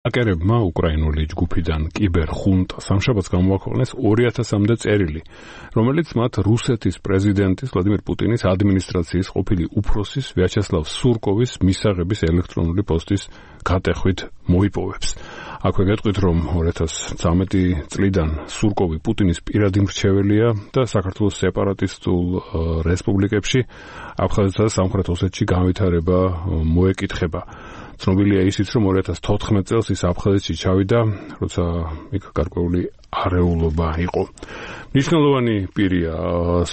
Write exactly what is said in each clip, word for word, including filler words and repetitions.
აკერებმა უკრაინული ჯგუფიდან კიბერხუნტა სამშაბათს გამოაქვეყნეს ორი ათასამდე წერილი, რომელიც მათ რუსეთის პრეზიდენტის ვლადიმერ პუტინის ადმინისტრაციის ყოფილი უფროსის ვიაჩესლავ სურკოვის მისაღების ელექტრონული პოსტის გატეხვით მოიპოვებს. აქვე გეტყვით, რომ ორი ათას ცხრამეტი წლიდან სურკოვი პუტინის პირადი მრჩეველია და საქართველოს სეპარატისტულ რესპუბლიკებში აფხაზეთსა და სამხრეთ ოსეთში განვითარება მოეკითხება. ცნობილია ისიც, რომ ორი ათას თოთხმეტ წელს ის აფხაზეთში ჩავიდა, როცა იქ გარკვეული არეულობა იყო. მნიშვნელოვანი პირია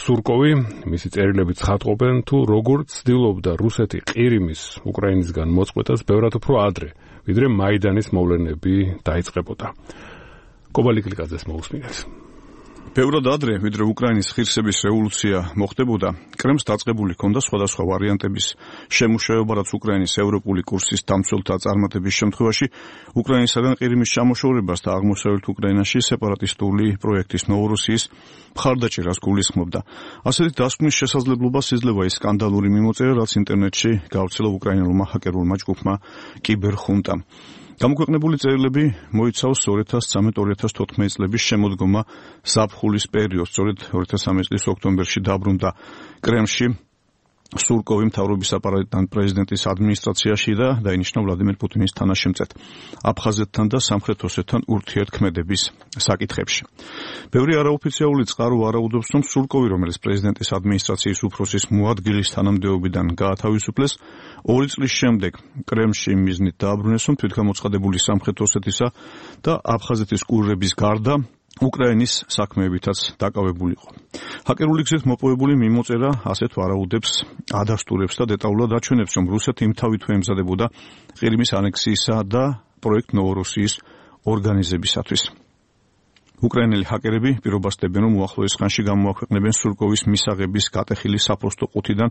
სურკოვი, მისი წერილები ცხადყოფენ, თუ როგორ ცდილობდა რუსეთი ყირიმის უკრაინისგან მოწყვეტას ბევრად უფრო ადრე, ვიდრე მაიდანის მოვლენები დაიწყებოდა. კობალი კლიკაძეს მოусმინეთ. ბევრად ადრე, ვიდრე უკრაინის ღირსების რევოლუცია მოხდებოდა, კრემლს დაწყებული ჰქონდა სხვადასხვა ვარიანტების შემუშავება, რაც უკრაინის ევროპული კურსის დამცველთა წარმატების შემთხვევაში უკრაინისაგან ყირიმის ჩამოშორებას და აღმოსავლეთ უკრაინაში სეპარატისტული პროექტის ნოვოროსიის მხარდაჭერას გულისხმობდა. ასეთი დასკვნის შესაძლებლობას იძლევა ის სკანდალური მიმოწერა, რაც ინტერნეტში გავრცელა უკრაინულმა ჰაკერულმა ჯგუფმა კიბერხუნტამ. გამოქვეყნებული წერილები მოიცავს ორი ათას ცხრამეტ ორი ათას თოთხმეტი წლების შემოდგომა ზაფხულის პერიოდს, სწორედ ორი ათას ცხრამეტი წლის ოქტომბერში დაბრუნდა კრემლში სურკოვი მთავრობის აპარატიდან პრეზიდენტის ადმინისტრაციაში და დაინიშნა ვლადიმერ პუტინის თანაშემწედ აფხაზეთთან და სამხრეთ ოსეთთან ურთიერთქმედების საკითხებში. ბევრი არაოფიციალური წყარო ვარაუდობს, რომ სურკოვი, რომელიც პრეზიდენტის ადმინისტრაციის უფროსის მოადგილის თანამდებობიდან გაათავისუფლეს, ორი წლის შემდეგ კრემლში მიზნით დააბრუნეს, რომ თვითგამოცხადებული სამხრეთ ოსეთისა და აფხაზეთის კურირების გარდა უკრაინის საქმეებითაც დაკავებულიყო. ჰაკერული გზით მოპოვებული მიმოწერა ასეთ ვარაუდებს ადასტურებს და დეტალურად აჩვენებს, რომ რუსეთი იმთავითვე ემზადებოდა ყირიმის ანექსიისა და პროექტ ნოვოროსიის ორგანიზებისათვის. უკრაინელი ჰაკერები პირობას დებენ, რომ უახლოეს ხანში გამოაქვეყნებენ სურკოვის მისაღების გატეხილი საფოსტო ყუთიდან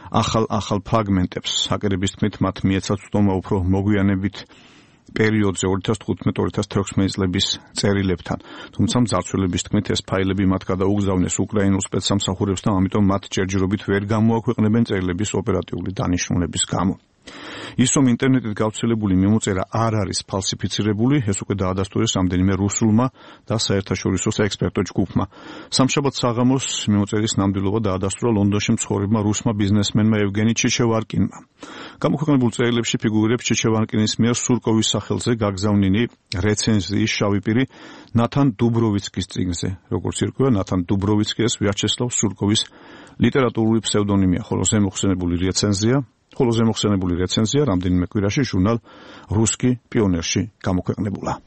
ახალ-ახალ ფრაგმენტებს. ჰაკერების თქმით, მათ მიეცათ წტომა უფრო მოგვიანებით პერიოდზე ორი ათას თხუთმეტ ორი ათას თექვსმეტი წლების წერილებთან. თუმცა მძარცველების თქმით, ეს ფაილები მათ გადაუგზავნეს უკრაინულ სპეცსამსახურებს და ამიტომ მათ ჯერჯერობით ვერ გამოაქვეყნებენ წერილების ოპერატიული დანიშნულების გამო. ის, რომ ინტერნეტით გავრცელებული მიმოწერა არ არის ფალსიფიცირებული, ეს უკვე დაადასტურეს რამდენიმე რუსულმა და საერთაშორისო საექსპერტო ჯგუფმა. სამშაბათ საღამოს მიმოწერის ნამდვილობა დაადასტურა ლონდონში მცხოვრებმა რუსმა ბიზნესმენმა ევგენი ჩეჩევარკინმა. გამოქვეყნებულ წერილებში ფიგურირებს ჩეჩევარკინის მიერ სურკოვის სახელზე გაგზავნილი რეცენზიის შავი პირი ნათან დუბროვიცკის წიგნზე. როგორც ირკვევა, ნათან დუბროვიცკი ეს ვიაჩესლავ სურკოვის ლიტერატურული ფსევდონიმია, ხოლო ზემოხსენებული რეცენზია ხოლო ზემოხსენებული რეცენზია რამდენიმე კვირაში ჟურნალ რუსკი პიონერში გამოქვეყნებულა.